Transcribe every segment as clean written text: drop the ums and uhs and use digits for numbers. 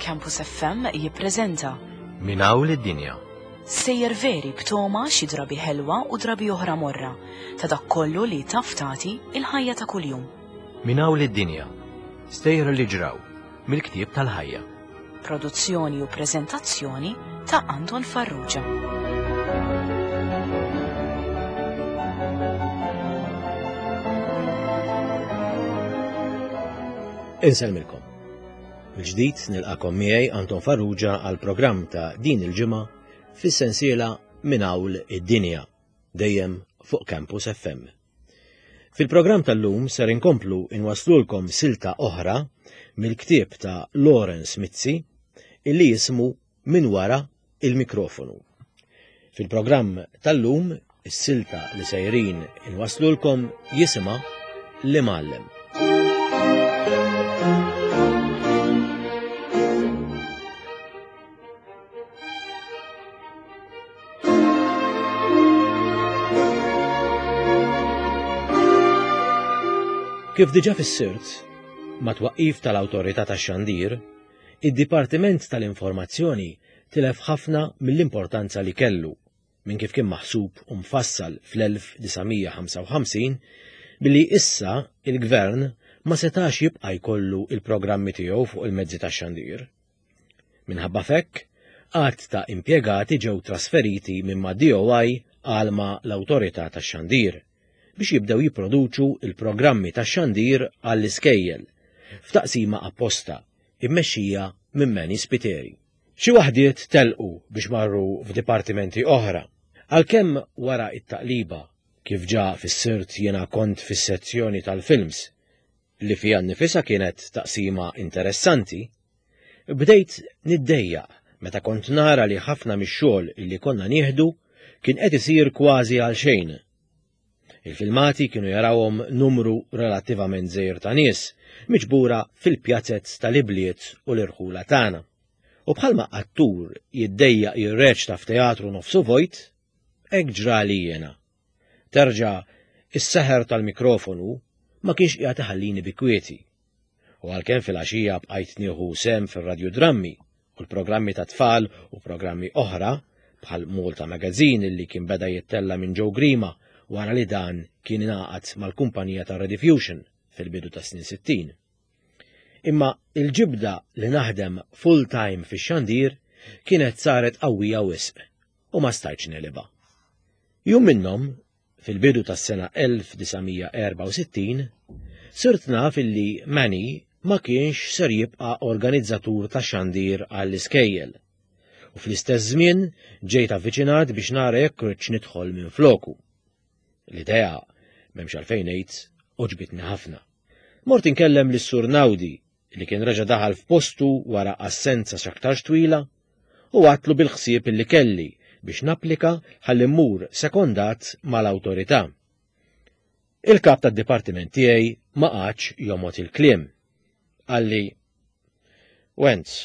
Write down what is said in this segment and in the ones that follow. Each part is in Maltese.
Campus FM jippreżenta Minn hawn lid-dinja. Sejjer veri b'toma xi drabi ħelwa u drabi oħra morra ta' dak kollu li taf tagħti il-ħajja ta' kuljum. Minn hawn lid-dinja. Stejjer li ġraw mill-ktieb tal-ħajja. Produzzjoni u preżentazzjoni ta' Anton Farrugia. Insellmilkom. Mill-ġdid nilqakom miegħi Anton Farrugia għal programm ta' din il-ġimgħa fis-sensiela Minn Hawn id-Dinja, dejjem fuq Campus FM. Fil-programm tal-lum ser inkomplu inwaslulkom silta oħra mill-ktieb ta' Lawrence Mizzi illi jismu Minn wara il-mikrofonu. Fil-programm tal-lum is-silta li sejrin inwaslulkom jisimha L-Imgħallem. Kif diġa fissirt, ma twaqqif tal-Awtorità tax-Xandir, id-Dipartiment tal-Informazzjoni tilef ħafna mill-importanza li kellu minn kif kien maħsub u mfassal fl-1955 billi issa il-Gvern ma setax jibqa' jkollu il-programmi tiegħu fuq il-mezzi tax-xandir. Minħabba f'hekk, għadd ta' impjegati ġew trasferiti minn ma' DOI għal ma' l-Awtorità tax-Xandir biex jibdew jipproduċu l-programmi tax-xandir għall-iskejjel f'taqsima apposta immexxija minn Manny Spiteri. Xi waħdiet telqu biex marru f'dipartimenti oħra, għalkemm wara t-taqliba, kif ġa fissirt jiena kont fis-sezzjoni tal-films, li fiha nnifisha kienet taqsima interessanti, bdejt niddejjaq meta kont nara li ħafna mix-xogħol illi konna nieħdu kien qed isir kważi għal xejn. Il-filmati kienu jarawhom numru relattivament żgħir ta' nies, miġbura fil-pjazez tal-ibliet u l-irħula tagħna. U bħalma attur jiddejjaq jirreċta f'teatru nofsu vojt, hekk ġrali jiena. Terġa' is-seħer tal-mikrofonu ma kienx qiegħed iħallini bi kwieti. U għalkemm filgħaxija bqajt nieħu sehem fir-radjudrammi u l-programmi ta' tfal u programmi oħra bħal Malta Magazine li kien beda jittella' minn Joe Grima wara li dan kien ingħaqad mal-kumpanija ta' Rediffusion fil-bidu tas-snin 60. Imma il-ġibda li naħdem full-time fix-xandir kienet saret qawwija wisq u ma stajtx negħlibha. Jum minnhom, fil-bidu tas-sena 1964, sirt naf illi Manny ma kienx ser jibqa' organizzatur ta' xandir għall-iskejjel. U fl-istess żmien ġejt avviċinat biex nara jekk rridx nidħol minn floku. L-idea, m'hemmx għalfejn ngħid, għoġbitni ħafna. Mort inkellem lis-Sur Naudi li kien reġa' daħal f'postu wara assenza x'aktarx twila u għadtlu bil-ħsieb li kelli biex napplika ħalli mmur sekondat mal-awtorità. Il-kap tad-dipartiment tiegħi ma qagħadx jomgħod il-kliem. Qalli, Wenz,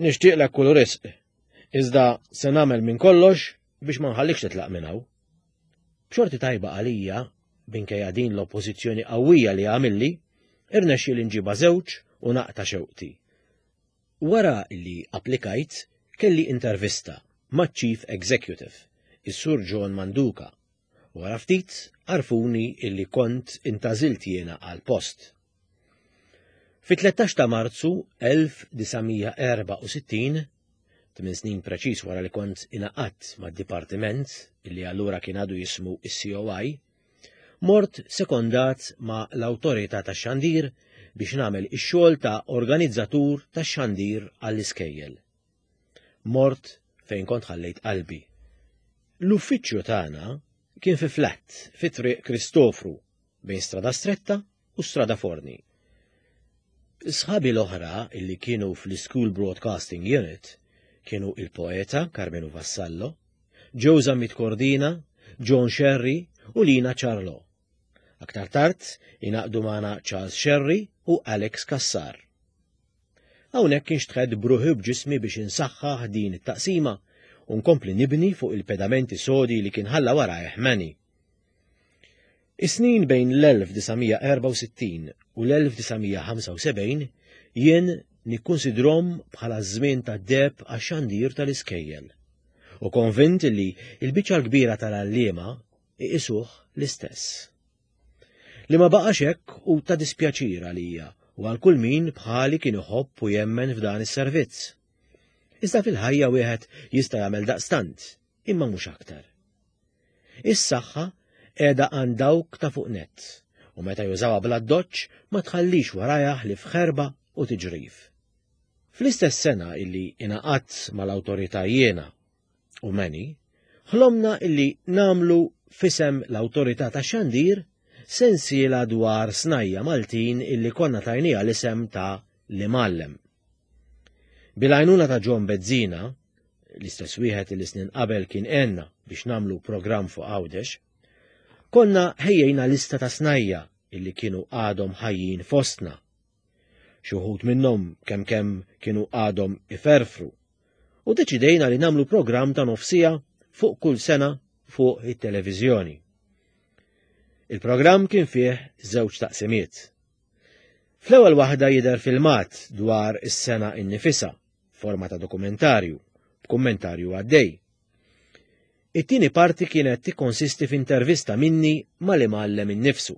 nixtieqlek kull risq, iżda se nagħmel minn kollox biex ma nħallikx titlaq minn hawn. B'xorti tajba għalija, minkejja din l-oppożizzjoni qawwija li għamilli, irnexxieli nġibha żewġ u naqta' xewqti. Wara li applikajt, kelli intervista maċ-Chief Executive, is-Sur John Manduca, u wara ftit għarrfuni illi kont intgħażilt jiena għall-post. Fit-13 ta' Marzu 1964, tminn snin preċiż wara li kont ingħaqadt mad-dipartiment illi allura kien għadu jismu is-COI, mort sekondat ma' l-Awtorità tax-Xandir biex nagħmel ix-xogħol ta' organizzatur tax-xandir għall-iskejjel. Mort fejn kont ħallejt qalbi. L-uffiċċju tagħna kien fi flat fi Triq Kristofru bejn Strada Stretta u Strada Forni. Sħabi l-oħra illi kienu fl-School Broadcasting Unit kienu il-poeta Karmenu Vassallo, Joe Zammit Cordina, John Scerri u Lina Ciarlò. Aktar tard ingħaqdu magħna Charles Scerri u Alex Cassar. Hawnhekk inxtħett b'ruħi u b'ġismi biex insaħħaħ din it-taqsima u nkompli nibni fuq il-pedamenti sodi li kien ħalla warajh Manny. Is-snin bejn l-1964 u l-1975 jien nikkunsidrom bħala żmien ta' deb għax-xandir tal-iskejjel. U konvint li l-biċċa l-kbira tal-għalliema iqisuh l-istess. Li ma baqax hekk hu ta' dispjaċir għalija u għal kull min bħali kien iħobb u jemmen f'dan is-servizz. Iżda fil-ħajja wieħed jista' jagħmel daqstant, imma mhux aktar. Is-saħħa qiegħda għand dawk ta' fuq nett, u meta jużawha bl-addoċċ ma tħallix warajha ħlief ħerba u tiġrif. Fl-istess sena illi ingħaqadt mal-awtorità jiena u Manny, ħlomna illi nagħmlu f'isem l-Awtorità tax-Xandir sensiela dwar snajja Maltin illi konna tajniha l-isem ta' L-Imgħallem. Bil-għajnuna ta' John Bezzina, l-istess wieħed li snin qabel kien għenna biex nagħmlu programm fuq Għawdex, konna ħejjejna lista ta' snajja illi kienu għadhom ħajjin fostna. Xi wħud minnhom kemm kemm kienu għadhom iferfru u deċidejna li nagħmlu programm ta' nofsija fuq kull sena fuq it-televiżjoni. Il-programm kien fih żewġ taqsimiet. Fl-ewwel waħda jidher filmat dwar is-sena innifisha, forma ta' dokumentarju, b'kummentarju għaddej. It-tieni parti kienet tikkonsisti f'intervista minni mal-imgħallem innifsu.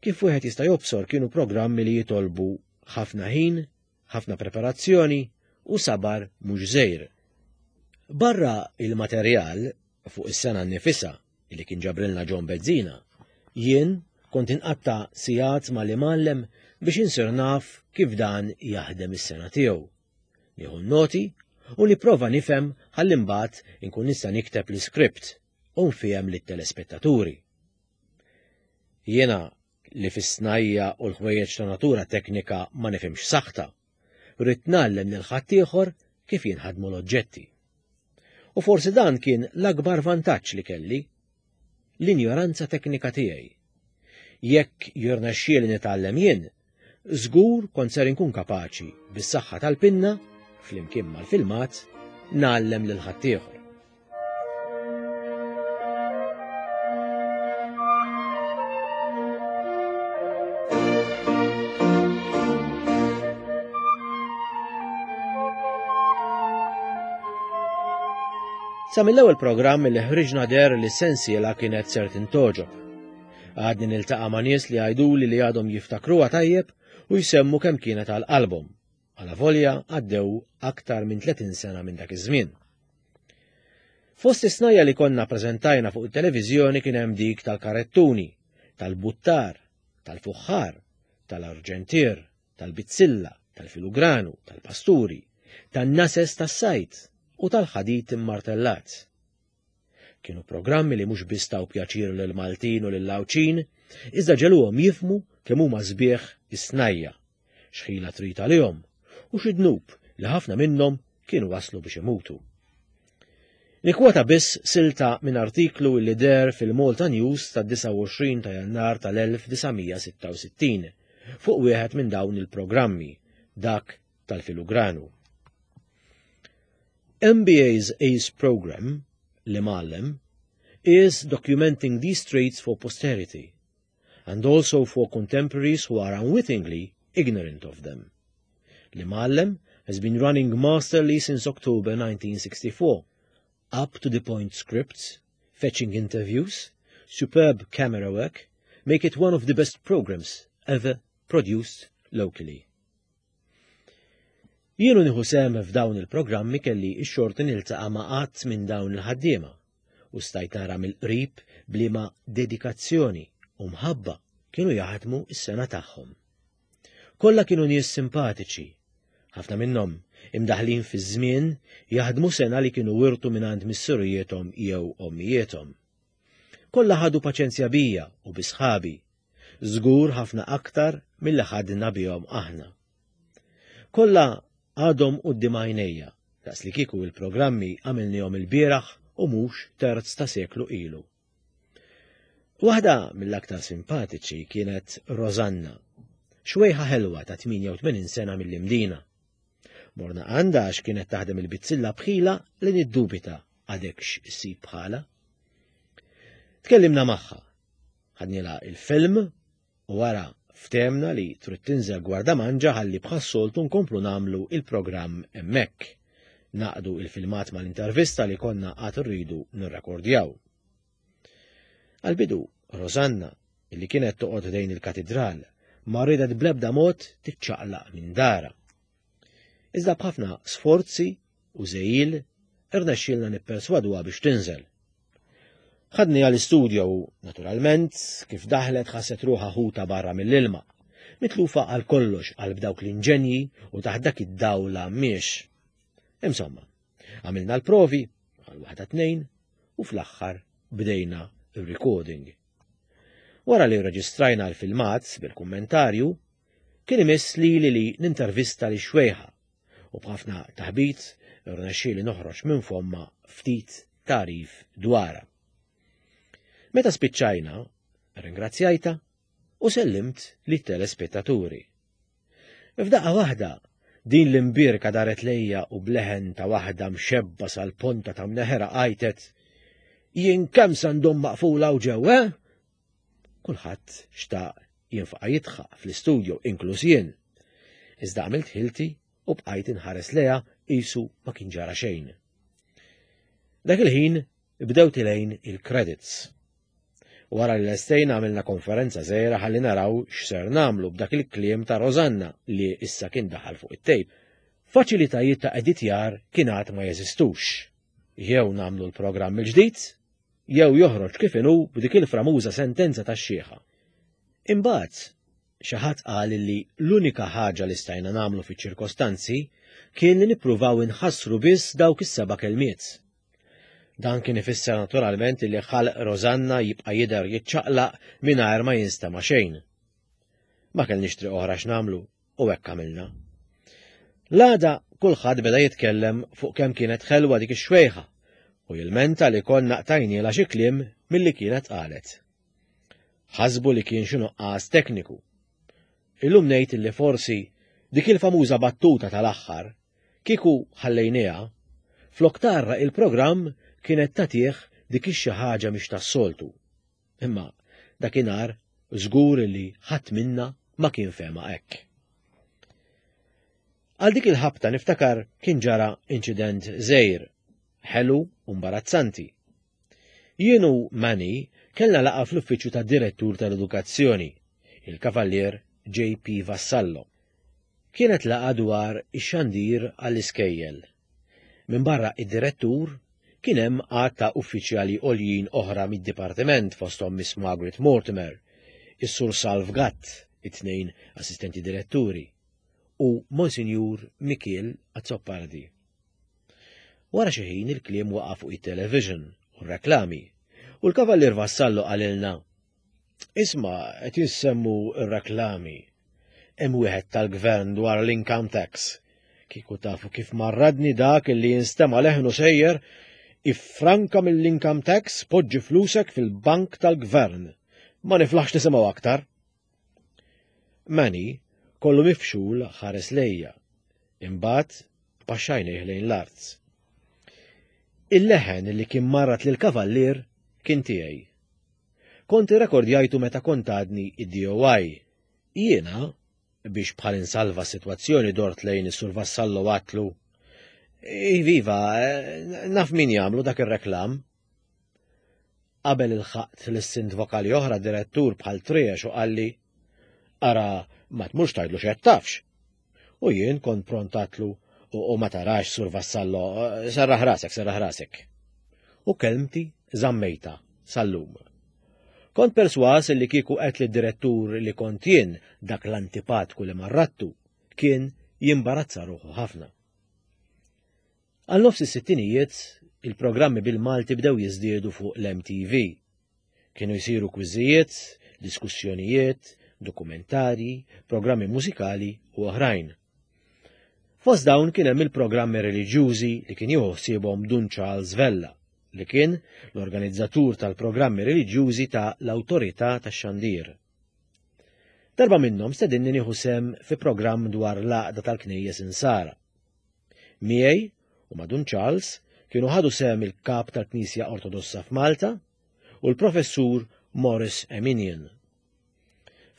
Kif wieħed jista' jobsor kienu programmi li jitolbu ħafna ħin, ħafna preparazzjoni u sabar mhux żgħir. Barra il-materjal fuq is-sena nnifisha li kien ġabrilna John Bezzina, jien kont inqatta' sigħat mal-imgħallem biex insir naf kif dan jaħdem is-sena tiegħu. Nieħu n-noti u nipprova nifhem ħalli mbagħad inkun nista' nikteb l-iskript u nfiehem lit-telespettaturi. Jiena li fis-snajja u l-ħwejjeġ ta' natura teknika ma nifhimx saħta, ridt ngħallem lil ħaddieħor kif jinħadmu l-oġġetti. U forsi dan kien l-akbar vantaġġ li kelli, l-injoranza teknika tiegħi. Jekk jirnexxieli nitgħallem jien, żgur kont ser inkun kapaċi bis-saħħa tal-pinna, flimkien mal-filmat, ngħallem lil ħaddieħor. Sa mill-ewwel programm li ħriġna der li sensiela kienet ser tintoġob. Għadni niltaqa' ma' nies li għajduli li għadhom jiftakruha tajjeb u jsemmu kemm kienet għal qalbhom. Alavolja għaddew aktar minn 30 sena minn dak iż-żmien. Fost is-snajja li konna preżentajna fuq it-televiżjoni kien hemm dik tal-karettuni, tal-buttar, tal-fuħħar, tal-arġentier, tal-bizzilla, tal-filugranu, tal-pasturi, tan-nases tas-sajd u tal-ħadid immartellat. Kienu programmi li mhux biss taw pjaċir lill-Maltin u lill-Għawdxin, iżda ġegħluhom jifhmu kemm huma sbieħ is-snajja x'ħila trid għalihom u xi dnub li ħafna minnhom kienu waslu biex imutu. Nikkwota biss silta minn artiklu li deher fil-Malta News tad-29 ta' Jannar tal-1966 fuq wieħed minn dawn il-programmi, dak tal-filugranu. MBA's ACE program, l-imgħallem, is documenting these traits for posterity and also for contemporaries who are unwittingly ignorant of them. L-Imgħallem has been running masterly since October 1964, up to the point scripts, fetching interviews, superb camera work, make it one of the best programs ever produced locally. Jien u nieħu sehem f'dawn il-programmi kelli x-xorti niltaqa' ma' għadd minn dawn il-ħaddiema u stajt nara mill-qrib b'liema dedikazzjoni u mħabba kienu jaħdmu s-sena tagħhom. Kollha kienu nies simpatiċi, ħafna minnhom imdaħħlin fiż-żmien jaħdmu sena li kienu wirtu mingħand missirijiethom jew ommijiethom. Kollha ħadu paċenzja bija u bi sħabi, żgur ħafna aktar milli ħadna bihom aħna. Kollha għadhom quddiem għajnejja, daqs li kieku il-programmi għamilnihom ilbieraħ u mhux terz ta' seklu ilu. Waħda mill-aktar simpatiċi kienet Rosanna, xwejħa ħelwa ta' 88 sena mill-Imdina. Morna għandha għax kienet taħdem il-bizzilla bħila li niddubita għadekx issib bħala. Tkellimna magħha, ħadnilha il-film u wara ftehemna li trid tinżel Gwardamanġa ħalli bħas-soltu nkomplu nagħmlu il-programm hemmhekk. Naqdu il-filmat mal-intervista li konna għad irridu nirrekordjaw. Għal-bidu, Rosanna, li kienet toqgħod ħdejn il-katidral, ma riedet bl-ebda mod tiċċaqlaq minn dara. Iżda b'ħafna sforzi u żegħil irnexxielna nipperswaduha biex tinżel. Ħadni għall-istudio u, naturalment, kif daħlet ħasset ruħha ħuta barra mill-ilma, mitlufa għal kollox qalb dawk l-inġenji u taħt dak id-dawl għammiex. Insomma, għamilna l-provi, għal waħda tnejn, u fl-aħħar bdejna il-recording. Wara li rreġistrajna l-filmat bil-kummentarju, kien imiss lili li nintervista li xwejħa u b'ħafna taħbit rnexxieli noħroġ minn fomma ftit tagħrif dwarha. Meta spiċċajna, ringrazzjajta u sellimt lit telespettaturi. F'daqqa waħda, din l-imbierka daret lejja u bleħen ta' waħda mxebba sal-ponta ta' mneħera għajtet Jien kemm se ndum maqfula u ġew, eh? Kulħadd xtaq jinfaqa' jidħaq fl-istudio inkluż jien. Iżda għamilt ħilti u bqajt inħares leha qisu ma kien ġara xejn. Dak il-ħin bdew tilejn il-credits. Wara li lestejna għamilna konferenza żgħira ħalli naraw x'ser nagħmlu b'dak il-kliem ta' Rosanna li issa kien daħal fuq it-tejp. Faċilitajiet ta' editjar kien għad ma jeżistux. Jew nagħmlu l-programm il-ġdid, jew joħroġ kif inhu b'dik il-framuża sentenza tax-xiħa. Imbagħad, xi ħadd qal li l-unika ħaġa li stajna nagħmlu fiċ-ċirkostanzi kien li nippruvaw inħassru biss dawk is-seba' kelmiet. Dan kien ifisser naturalment li ħalq Rosanna jibqa' jidher jiċċaqlaq mingħajr ma jinstema' xejn. Ma kellniex triq oħra x'nagħmlu u hekk għamilna. L-għada kulħadd beda jitkellem fuq kemm kienet ħelwa dik ix-xwejħa u jilmenta li konna qtajnielha xi kliem milli kienet qalet. Ħasbu li kien xi nuqqas tekniku. Illum ngħid li forsi dik il-famuża battuta tal-aħħar Kieku ħallejniha, flok tgħarraq il-programm kienet tagħtih dik ix-xi ħaġa mhix tas-soltu. Imma dakinhar żgur li ħadd minna ma kien fehma hekk. Għal dik il-ħabta niftakar kien ġara inċident żgħir, ħelu u mbarazzanti. Jien u Manny kellna laqgħa fl-uffiċċju tad-Direttur tal-Edukazzjoni, il-Kavallier JP Vassallo. Kienet laqgħa dwar ix-xandir għall-iskejjel. Minbarra id-direttur, kien hemm għadd ta' uffiċjali għoljin oħra mid-dipartiment fosthom Miss Margaret Mortimer, is-Sur Salv Gatt, it-tnejn assistenti diretturi, u Monsinjur Mikiel Azzopardi. Wara xi ħin il-kliem waqa' fuq it-television u r-reklami, u l-Kavallier Vassallo qalilna, Isma' qed jissemmu r-reklami. Hemm wieħed tal-gvern dwar l-income tax. Kieku tafu kif marradni dak li jinstema' leħnu sejjer, iffranka mill-income tax poġġi flusek fil-bank tal-gvern. Ma niflaħx nisimgħu aktar. Manny kollu mifxul ħares lejja. Imbagħad baxxajnih lejn l-art. Il-leħen li kien marrat lil kavallier kien tiegħi. Kont irrekordjajtu meta kont għadni id-DOI. Jiena, biex bħal insalva s-sitwazzjoni dort lejn is-Sur Vassallo għatlu. Iviva, naf min jagħmlu dak ir-reklam. Qabel ilħaqt l-sint vokali oħra direttur bħal triex u qalli, ara ma tmurx tgħidlu x'qed tafx. U jien kont pront għatlu u ma tarax sur Vassallo, serraħ rasek, serraħ rasek. U kelmti żammejta sal-lum. Kont perswas li kieku qed li direttur li kont jien dak l-antipatku li marrattu kien jimbarazza ruħu ħafna. Għal nofs is-sittinijiet, il-programmi bil-Malti bdew jiżdiedu fuq l-MTV. Kienu jsiru kwiżijiet, diskussjonijiet, dokumentarji, programmi mużikali u oħrajn. Fost dawn kien hemm il-programmi reliġjużi li kien jieħu ħsiebhom Dun Charles Vella, li kien l-organizzatur tal-programmi reliġjużi ta' l-Awtorità tax-Xandir. Darba minnhom stedinni nieħu sehem fi programm dwar l-għaqda tal-Knejjes Insara. Miegħi u ma' Dun Charles kienu ħadu sehem il-kap tal-Knisja Ortodossa f'Malta u l-Professur Morris Eminian.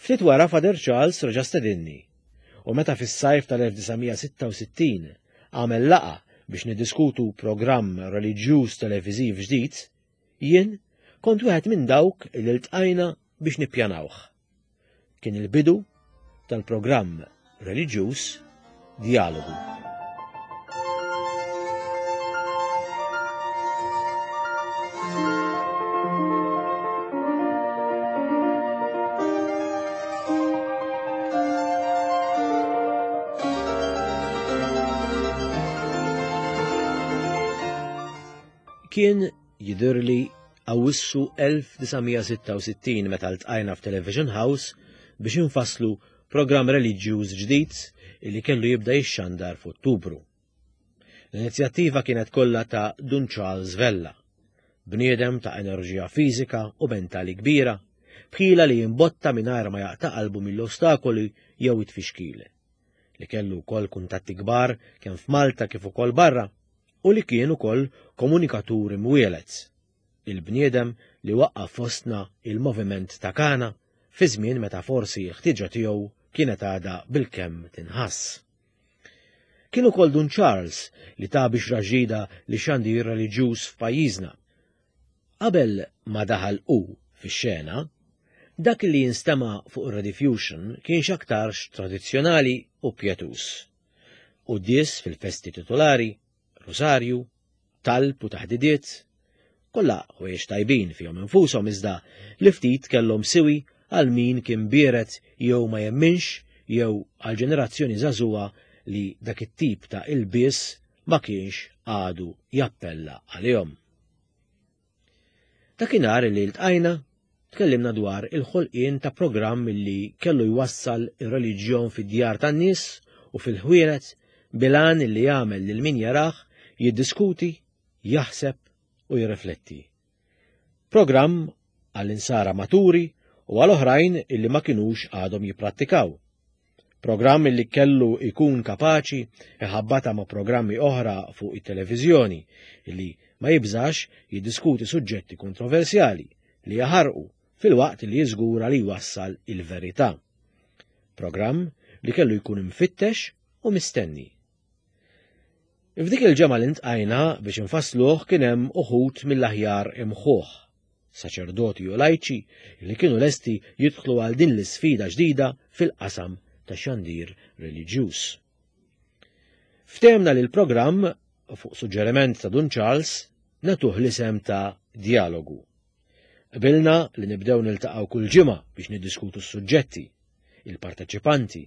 Ftit wara Father Charles reġa' stedinni u meta fis-sajf tal-1966 għamel laqgħa biex niddiskutu programm reliġjuż televiżiv ġdid, jien kont wieħed minn dawk li ltqajna biex nippjanawh. Kien il-bidu tal-programm reliġjuż Djalogu. Kien jidhirli Awwissu 1966 meta ltqajna f'Television House biex infasslu programm reliġjuż ġdid li kellu jibda jixxandar f'Ottubru. L-inizjattiva kienet kollha ta' Dun Charles Vella, bniedem ta' enerġija fiżika u mentali kbira, b'ħila li jimbotta mingħajr ma jaqta' qalbu mill-ostakoli jew it-tfixkil, li kellu wkoll kuntatti kbar kemm f'Malta kif ukoll barra u li kien ukoll komunikatur imwieled, il-bniedem li waqqaf fostna il-moviment ta' Kana fi żmien meta forsi l-ħtieġa tiegħu kienet għadha bilkemm tinħass. Kien ukoll Dun Charles li ta bixra ġdida li xandir reliġjuż f'pajjiżna. Qabel ma daħal hu fix-xena, dak li jinstema' fuq ir-Rediffusion kien x'aktarx tradizzjonali u pjetuż. Quddies fil-festi titolari, rusarju, talb u taħdidiet, kollha ħwejjeġ tajbin fihom infushom iżda li ftit kellhom siwi għal min kien biered jew ma jemminx jew għal ġenerazzjoni żagħżugħa li dak it-tip ta' ilbies ma kienx għadu jappella għalihom. Dakinhar li ltqajna, tkellimna dwar il-ħolqien ta' programm li kellu jwassal ir-reliġjon fid-djar tan-nies u fil-ħwienet bil-għan li jagħmel lil min jarah jiddiskuti, jaħseb u jirrifletti. Programm għall-insara maturi u għal oħrajn illi ma kinux għadhom jipprattikaw. Programm li kellu jkun kapaċi iħabbata ma' programmi oħra fuq it-televiżjoni li ma jibżax jiddiskuti suġġetti kontroversjali li jaħarqu filwaqt li jiżgura li jwassal il-verità. Programm li kellu jkun imfittex u mistenni. F'dik il-ġemgħa li ntqajna biex infassluh kien hemm uħud mill-aħjar imħuħ, saċerdoti u lajċi li kienu lesti jidħlu għal din l-isfida ġdida fil-qasam ta' xandir reliġjuż. Ftehmna li l-programm, fuq suġġeriment ta' Dun Charles, natuh l-isem ta' Djalogu. Qbilna li nibdew niltaqgħu kull ġimgħa biex niddiskutu s-suġġetti, il-parteċipanti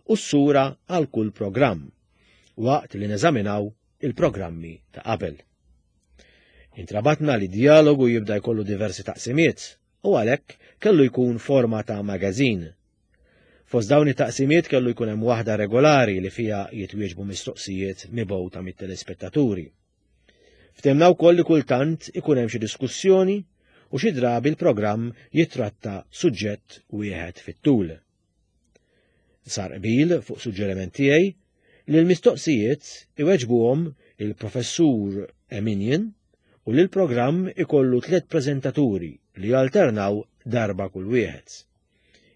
u s-sura għal kull programm, waqt li neżaminaw il-programmi ta' qabel. Intrabatna li djalogu jibda jkollu diversi taqsimiet u għalhekk kellu jkun forma ta' magazin. Fost dawn it-taqsimiet kellu jkun hemm waħda regolari li fiha jitwieġbu mistoqsijiet mibgħuta mit-telespettaturi. Ftehmna wkoll li kultant ikun hemm xi diskussjoni u xi drabi l-programm jittratta suġġett wieħed fit-tul. Sar qbil fuq suġġeriment tiegħi li l-mistoqsijiet iweġbuhom il-Professur Eminian u li l-programm ikollu tliet preżentaturi li jalternaw darba kull wieħed.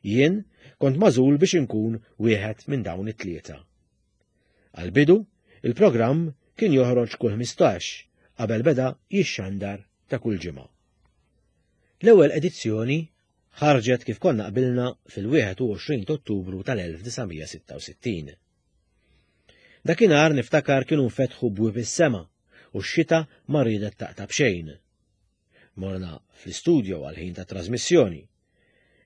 Jien kont magħżul biex inkun wieħed minn dawn it-tlieta. Għall-bidu, il-programm kien joħroġ kull 15 qabel beda jixxandar ta' kull ġimgħa. L-ewwel edizzjoni ħarġet kif konna qbilna fil-21 Ottubru tal-1966. Dakinhar niftakar kienu nfetħu bwieb is-sema u x-xita ma riedet taqta' b'xejn. Morna fl-istudio għall-ħin ta' trasmissjoni.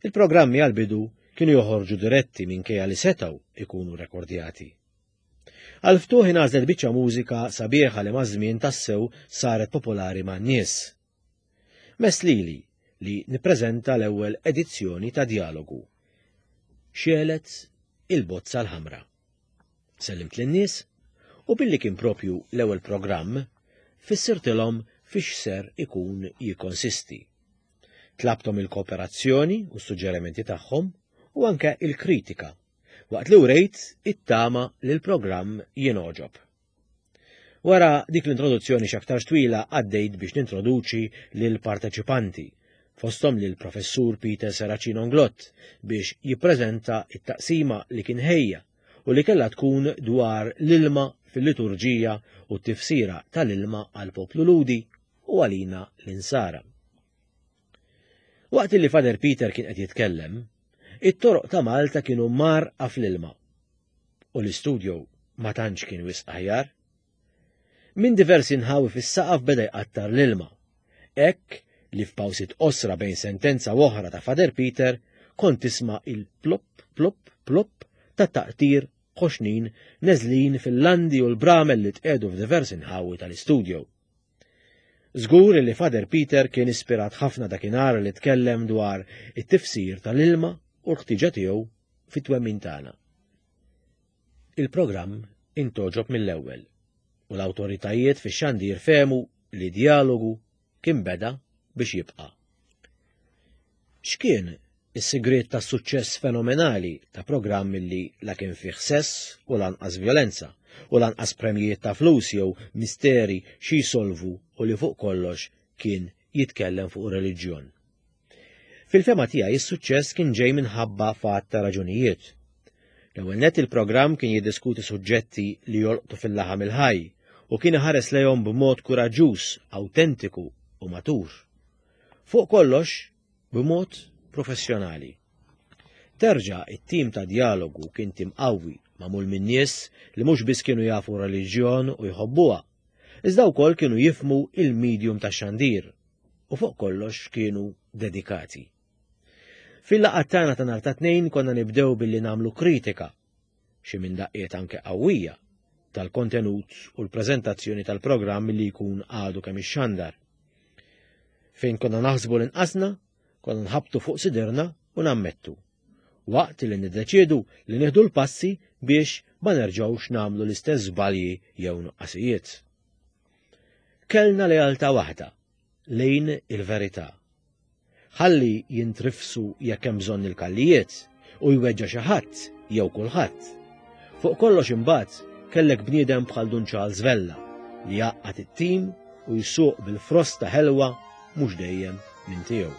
Il-programmi għall-bidu kienu joħorġu diretti minkejja li setgħu ikunu rekordjati. Għal-ftuħ ingħażlet biċċa mużika sabiħa li maż-żmien tassew saret popolari man-nies. Mess lili li nippreżenta l-ewwel edizzjoni ta' Djalogu. Xegħlet il-bozza l-ħamra. Sellimt lin-nies u billi kien propju l-ewwel programm, fissirtilhom fiex ser ikun jikkonsisti. Tlabthom il-kooperazzjoni u s-suġġerimenti tagħhom u anke il-kritika, waqt li wrejt it-tama li l-programm jingħoġob. Wara dik l-introduzzjoni x'aktarx twila għaddejt biex nintroduċi lill-parteċipanti. fosthom lil Professur Peter Serracino Inglott biex jippreżenta t-taqsima li kien ħejja u li kellha tkun dwar l-ilma fil-liturġija u t-tifsira tal-ilma għall-poplu Lhudi u għalina l-Insara. Waqt li Father Peter kien qed jitkellem, it-toroq ta' Malta kienu mgħarrqa fl-ilma u l-istudio ma tantx kien wisq aħjar. Minn diversi nħawi fis-saqaf beda jqattar l-ilma. Hekk li f'pawsiet qosra bejn sentenza u oħra ta' Father Peter kont tisma' il-plopp plopp plopp ta' taqtir ħoxnin neżlin fil-landi u l-bramel li tqiegħdu f'diversi nħawi tal-istudio. Żgur li Father Peter kien ispirat ħafna dakinhar li tkellem dwar it-tifsir tal-ilma u l-ħtiġa tiegħu fit-twemmin tagħna. Il-programm intgħoġob mill-ewwel u l-awtoritajiet fix-xandir fehmu li djalogu kien beda biex jibqa'. X'kien is-sigriet tas-suċċess fenomenali ta' programm li la kien fih sess u lanqas vjolenza u lanqas premjijiet ta' flus jew misteri xi jsolvu u li fuq kollox kien jitkellem fuq reliġjon? Fil-fehma tiegħi is-suċċess kien ġej minħabba f'għadd ta' raġunijiet. L-ewwel nett il-programm kien jiddiskuti suġġetti li jolqtu fil-laħam il-ħaj u kien iħares lejhom b'mod kuraġġuż, awtentiku u matur. Fuq kollox, b'mod professjonali. Terġa' it-tim ta' djalogu kien tim qawwi magħmul minn nies li mhux biss kienu jafu r-reliġjon u jħobbuha, iżda wkoll kienu jifhmu il-medium tax-xandir u fuq kollox kienu dedikati. Fil-laqgħat tagħna ta' nhar ta' tnejn konna nibdew billi nagħmlu kritika, xi minn daqqiet anke qawwija, tal-kontenut u l-preżentazzjoni tal-programm li jkun għadu kemm ixxandar. Fejn konna naħsbu li nqasna, konna nħabtu fuq sidirna u nammettu. Waqt li niddeċiedu li nieħdu l-passi biex ma nerġgħux nagħmlu l-istess żbalji jew nuqqasijiet. Kellna lealtà waħda lejn il-verità. Ħalli jintrifsu jekk hemm bżonn il-kallijiet u jweġġa' xi ħadd jew kulħadd. Fuq kollox imbagħad kellek bniedem bħal Dun Charles Vella li jgħaqqad it-tim u jsuq bil-frosta ħelwa mhux dejjem minn tiegħu.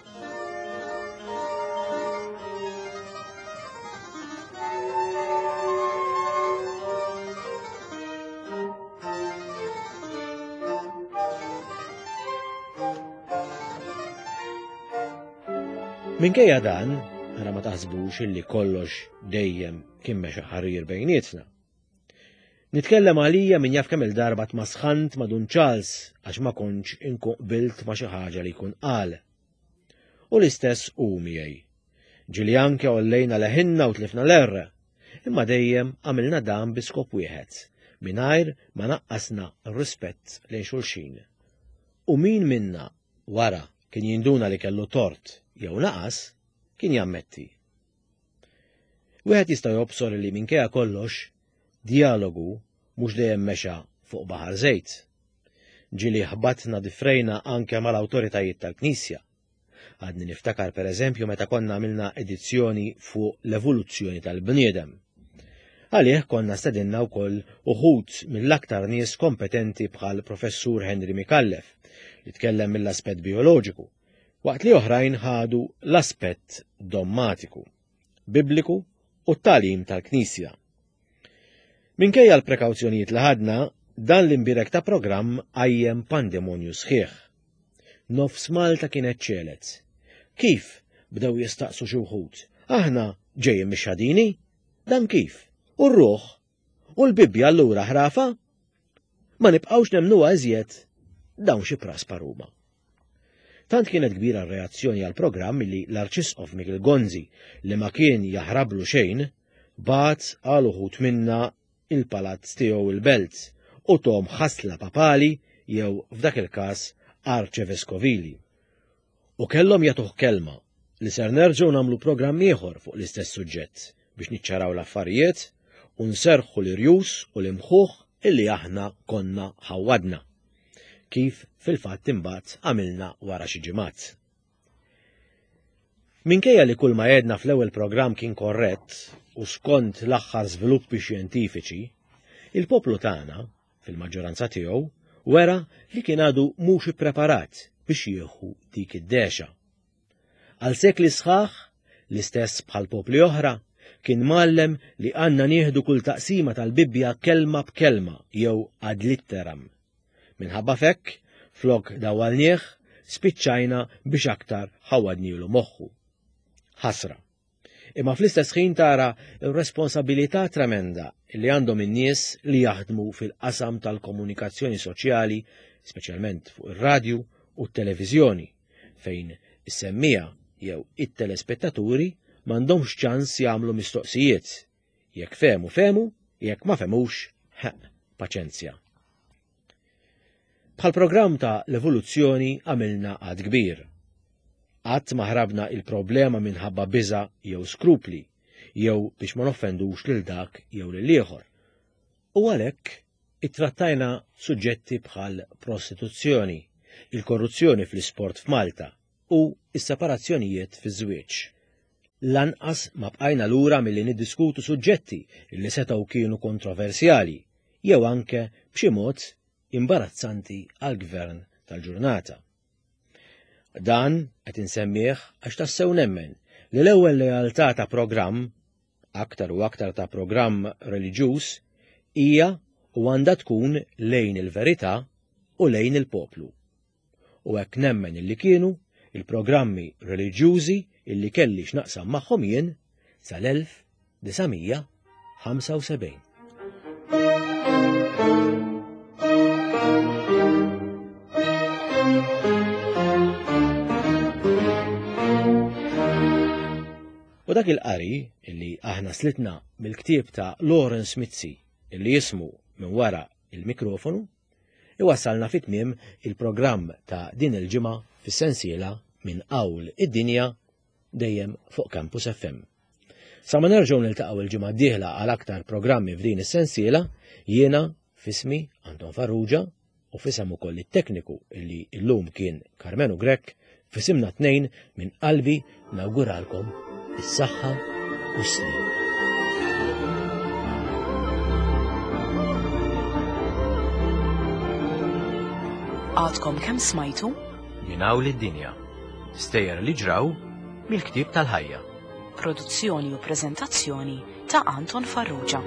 Minkejja dan, ara ma taħsbux illi kollox dejjem kien mexa ħarir bejnietna. Nitkellem għalija min jaf kemm il-darba tmasħant ma' Dun Charles għax ma kontx inkun qbilt ma' xi ħaġa li jkun qal. U l-istess hu miegħi. Ġieli anke għollejna leħinna u tlifna l-erre, imma dejjem għamilna dan bi skop wieħed, mingħajr ma naqqasna r-rispett lejn xulxin. U min minna wara kien jinduna li kellu tort jew naqas, kien jammetti. Wieħed jista' jobsor li minkejja kollox, djalogu mhux dejjem mexa fuq baħar żejt. Ġieli ħbatna difrejna anke mal-awtoritajiet tal-Knisja. Għadni niftakar pereżempju meta konna għamilna edizzjoni fuq l-evoluzzjoni tal-bniedem. Għalih konna stedinna wkoll uħud mill-aktar nies kompetenti bħal Professur Henry Micallef li tkellem mill-aspett bioloġiku, waqt li oħrajn ħadu l-aspett dommatiku, bibliku u t-tagħlim tal-Knisja. Minkejja l-prekawzjonijiet li ħadna, dan l-imbierek ta' programm qajjem pandemonju sħiħ. Nofs Malta kienet ċelet. Kif? bdew jistaqsu xi wħud. Aħna ġejjin mix-xadini? Dan kif? U r-ruħ? U l-Bibbja allura ħrafa? Ma nibqgħux nemmnuha iżjed. Dawn xi praspar huma. Tant kienet kbira r-reazzjoni għall-programm li l-Arċisqof Mikiel Gonzi, li ma kien jaħrablu xejn, bagħat għal uħud minna il-palazz tiegħu il-Belt u thom ħasla papali jew f'dak il-każ arċeveskovili. U kellhom jagħtuh kelma li ser nerġgħu nagħmlu programm ieħor fuq l-istess suġġett biex niċċaraw l-affarijiet u nserrħu l-irjus u l-imħuħ illi aħna konna ħawwadna. Kif fil-fatt imbagħad għamilna wara xi ġimgħat. Minkejja li kull ma għedna fl-ewwel programm kien korrett u skont l-aħħar żviluppi xjentifiċi, il-poplu tagħna, fil-maġġoranza tiegħu, wera li kien għadu mhux ippreparat biex jieħu dik id-dehxa. Għal sekli sħaħ, l-istess bħal popli oħra, kien mgħallem li għandna nieħdu kull taqsima tal-Bibbja kelma b'kelma jew ad litteram. Minħabba fekk, flok dawwalnieh, spiċċajna biex aktar ħawadnilu moħħu. Ħasra. Imma fl-istess ħin tara r-responsabilità tremenda li għandhom in-nies li jaħdmu fil-qasam tal-komunikazzjoni soċjali, speċjalment fuq ir-radju u t-televiżjoni, fejn is-semmiegħa jew it-telespettaturi m'għandhomx ċans jagħmlu mistoqsijiet. Jekk fehmu fehmu, jekk ma fehmux, ħeq, paċenzja. Bħal programm ta' l-evoluzzjoni għamilna għad kbir. Qatt ma ħrabna il-problema minħabba biża' jew skrupli, jew biex ma noffendux lil dak jew lil ieħor. U għalhekk ittrattajna suġġetti bħal prostituzzjoni, il-korruzzjoni fl-isport f'Malta u s-separazzjonijiet fiż-żwieġ. Lanqas ma bqajna lura milli niddiskutu suġġetti li setgħu kienu kontroversjali jew anke b'xi mod imbarazzanti għall-gvern tal-ġurnata. Dan qed insemmih għax tassew nemmen li l-ewwel lealtà ta' programm, aktar u aktar ta' programm reliġjuż, hija u għandha tkun lejn il-verità u lejn il-poplu. U hekk nemmen illi kienu il-programmi reliġjużi illi kelli x'naqsam magħhom jien sal-1975. U dak il-qari illi aħna slitna mill-ktieb ta' Lawrence Mizzi illi jismu minn wara il-mikrofonu iwassalna fi tmiem il-programm ta' din il-ġimgħa fis-sensiela minn Qawl id-Dinja dejjem fuq Campus FM. Sa ma nerġgħu niltaqgħu il-ġimgħa d-dieħla għal aktar programmi f'din is-sensiela, jiena fismi Anton Farrugia u fisem ukoll it-tekniku illi llum kien Karmenu Grech, F'isimna t-tnejn minn qalbi nawguralkom is-saħħa u s-sliem. Għadkom kemm smajtu? Minn hawn id-dinja. Stejjer li ġraw mill-ktieb tal-ħajja. Produzzjoni u preżentazzjoni ta' Anton Farrugia.